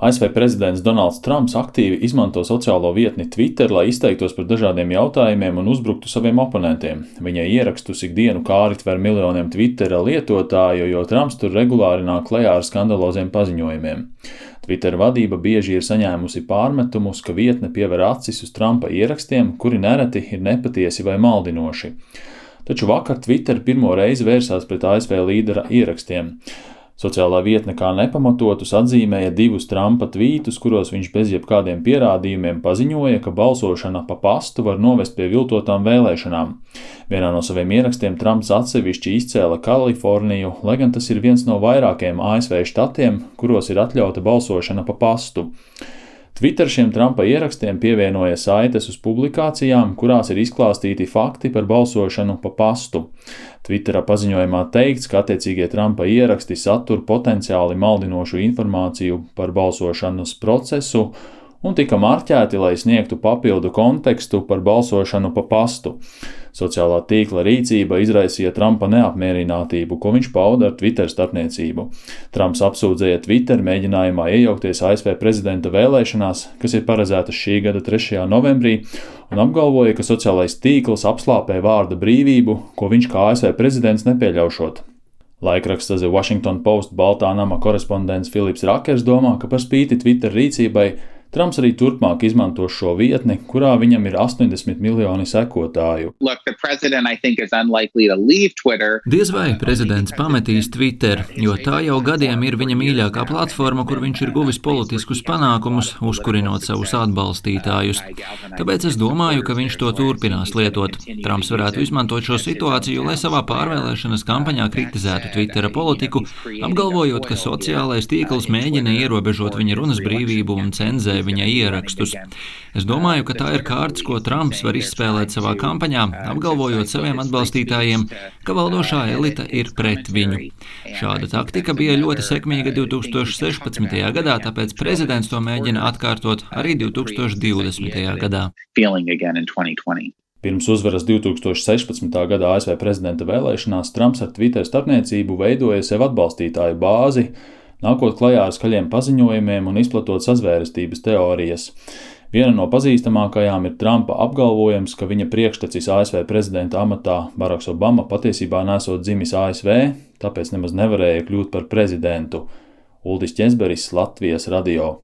ASV prezidents Donalds Trumps aktīvi izmanto sociālo vietni Twitter, lai izteiktos par dažādiem jautājumiem un uzbruktu saviem oponentiem. Viņa ierakstus ikdienu kāri tver miljoniem Twittera lietotāju, jo Trumps tur regulāri nāk klajā ar skandaloziem paziņojumiem. Twitter vadība bieži ir saņēmusi pārmetumus, ka vietne piever acis uz Trumpa ierakstiem, kuri nereti ir nepatiesi vai maldinoši. Taču vakar Twitter pirmo reizi vērsās pret ASV līdera ierakstiem. Sociālā vietne kā nepamatotus atzīmēja divus Trumpa tvītus, kuros viņš bez jebkādiem pierādījumiem paziņoja, ka balsošana pa pastu var novest pie viltotām vēlēšanām. Vienā no saviem ierakstiem Trumps atsevišķi izcēla Kaliforniju, lai gan tas ir viens no vairākiem ASV štatiem, kuros ir atļauta balsošana pa pastu. Twitter šiem Trumpa ierakstiem pievienoja saites uz publikācijām, kurās ir izklāstīti fakti par balsošanu pa pastu. Twittera paziņojumā teikts, ka attiecīgie Trumpa ieraksti satur potenciāli maldinošu informāciju par balsošanas procesu un tika marķēti, lai sniegtu papildu kontekstu par balsošanu pa pastu. Sociālā tīkla rīcība izraisīja Trumpa neapmierinātību, ko viņš pauda ar Twitter starpniecību. Trumps apsūdzēja Twitter mēģinājumā iejaukties ASV prezidenta vēlēšanās, kas ir paredzētas šī gada 3. novembrī, un apgalvoja, ka sociālais tīkls apslāpē vārda brīvību, ko viņš kā ASV prezidents nepieļaušot. Laikraksta The Washington Post Baltā nama korespondents Filips Rakers domā, ka par spīti Twitter rīcībai Trumps arī turpmāk izmanto šo vietni, kurā viņam ir 80 miljoni sekotāju. Diez vai prezidents pametīs Twitter, jo tā jau gadiem ir viņa mīļākā platforma, kur viņš ir guvis politiskus panākumus, uzkurinot savus atbalstītājus. Tāpēc es domāju, ka viņš to turpinās lietot. Trumps varētu izmantot šo situāciju, lai savā pārvēlēšanas kampaņā kritizētu Twittera politiku, apgalvojot, ka sociālais tīkls mēģina ierobežot viņa runas brīvību un cenzē viņa ierakstus. Es domāju, ka tā ir kārts, ko Trumps var izspēlēt savā kampaņā, apgalvojot saviem atbalstītājiem, ka valdošā elita ir pret viņu. Šāda taktika bija ļoti sekmīga 2016. gadā, tāpēc prezidents to mēģina atkārtot arī 2020. gadā. Pirms uzvaras 2016. gada ASV prezidenta vēlēšanās Trumps ar Twitter starpniecību veidoja sev atbalstītāju bāzi, nākot klajā ar skaļiem paziņojumiem un izplatot sazvērestības teorijas. Viena no pazīstamākajām ir Trumpa apgalvojums, ka viņa priekštecis ASV prezidenta amatā Baraks Obama patiesībā nesot dzimis ASV, tāpēc nemaz nevarēja kļūt par prezidentu. Uldis Ķezberis, Latvijas radio.